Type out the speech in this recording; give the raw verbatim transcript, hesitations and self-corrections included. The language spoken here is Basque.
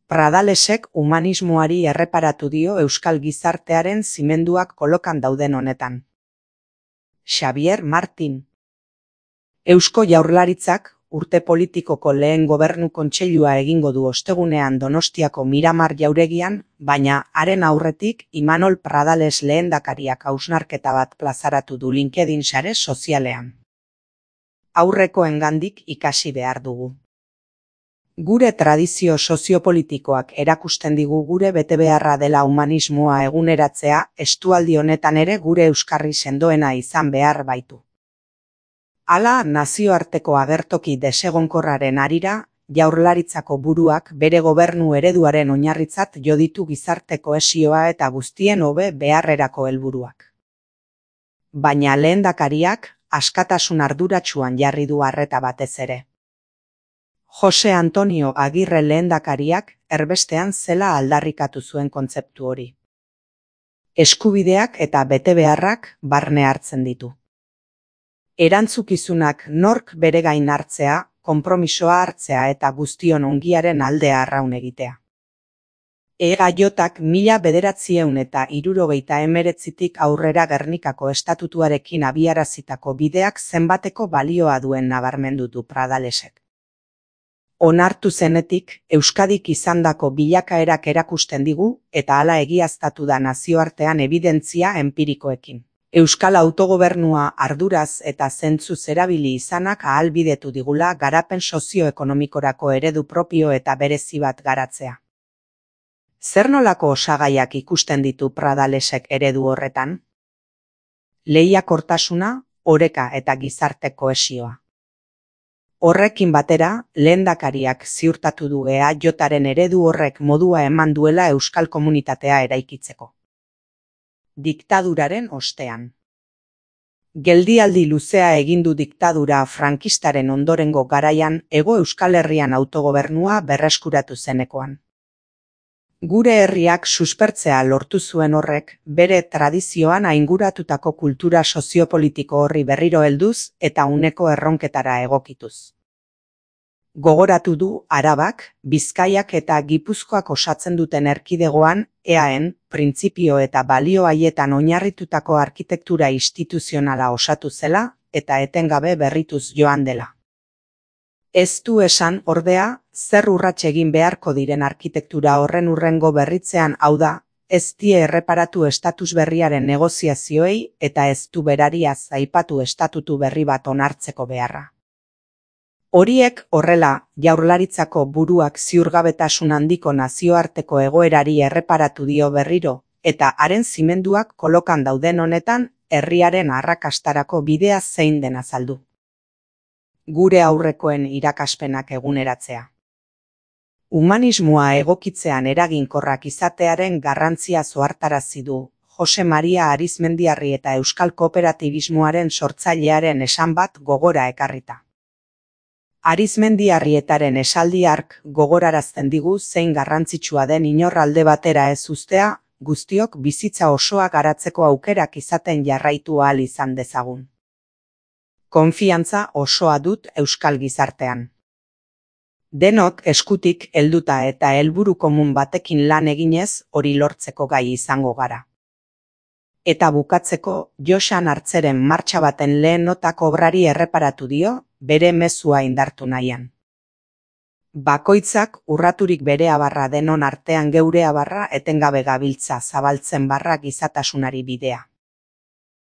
Pradalesek humanismoari erreparatu dio euskal gizartearen zimenduak kolokan dauden honetan. Xabier Martin. Eusko Jaurlaritzak urte politikoko lehen gobernu kontseilua egingo du ostegunean Donostiako Miramar jauregian, baina haren aurretik Imanol Pradales lehendakariak hausnarketa bat plazaratu du LinkedIn sare sozialean. Aurrekoengandik ikasi behar dugu. Gure tradizio soziopolitikoak erakusten digu gure betebeharra dela humanismoa eguneratzea, estualdi honetan ere gure euskarri sendoena izan behar baitu. Hala, nazioarteko agertoki desegonkorraren harira, Jaurlaritzako buruak bere gobernu ereduaren oinarritzat jo ditu gizarte kohesioa eta guztien hobe beharrerako helburuak. Baina lehendakariak askatasun arduratsuan jarri du arreta batez ere. Jose Antonio Agirre lehendakariak erbestean zela aldarrikatu zuen kontzeptu hori. Eskubideak eta betebeharrak barne hartzen ditu. Erantzukizunak nork bere gain hartzea, konpromisoa hartzea eta guztion ongiaren aldea arraun egitea. E G J-ak mila bederatziehun eta hirurogeita hemeretzitik aurrera Gernikako estatutuarekin abiarazitako bideak zenbateko balioa duen nabarmendu du Pradalesek. Onartu zenetik, Euskadik izandako bilakaerak erakusten digu eta hala egiaztatu da nazioartean ebidentzia enpirikoekin. Euskal autogobernua arduraz eta zentzuz erabili izanak ahalbidetu digula garapen sozioekonomikorako eredu propio eta berezi bat garatzea. Zer nolako osagaiak ikusten ditu Pradalesek eredu horretan? Lehiakortasuna, oreka eta gizarte kohesioa. Horrekin batera, lehendakariak ziurtatu du E A J-aren eredu horrek modua eman duela euskal komunitatea eraikitzeko. Diktaduraren ostean. Geldialdi luzea egin du diktadura frankistaren ondorengo garaian Hego Euskal Herrian autogobernua berreskuratu zenekoan. Gure herriak suspertzea lortu zuen horrek, bere tradizioan ainguratutako kultura soziopolitiko horri berriro helduz eta uneko erronketara egokituz. Gogoratu du Arabak, Bizkaiak eta Gipuzkoak osatzen duten erkidegoan E A-en printzipio eta balio haietan oinarritutako arkitektura instituzionala osatu zela eta etengabe berrituz joan dela. Ez du esan, ordea, zer urrats egin beharko diren arkitektura horren hurrengo berritzean, hau da, ez die erreparatu estatus berriaren negoziazioei eta ez du berariaz aipatu estatutu berri bat onartzeko beharra. Horiek horrela, Jaurlaritzako buruak ziurgabetasun handiko nazioarteko egoerari erreparatu dio berriro, eta haren zimenduak kolokan dauden honetan, herriaren arrakastarako bidea zein den azaldu. Gure aurrekoen irakaspenak eguneratzea. Humanismoa egokitzean eraginkorrak izatearen garrantzia zohartarazi du Jose Maria Arizmendiarri eta euskal kooperatibismoaren sortzailearen esan bat gogora ekarrita. Arizmendiarrietaren esaldi hark gogorarazten digu zein garrantzitsua den inor alde batera ez uztea, guztiok bizitza osoa garatzeko aukerak izaten jarraitu ahal izan dezagun. Konfiantza osoa dut euskal gizartean. Denok eskutik helduta eta helburu komun batekin lan eginez hori lortzeko gai izango gara. Eta bukatzeko, Joxan Hartzeren martxa baten lehen notak obrari erreparatu dio, bere mezua indartu nahian. Bakoitzak urraturik bere abarra denon artean geure abarra etengabe gabiltza zabaltzen barra gizatasunari bidea.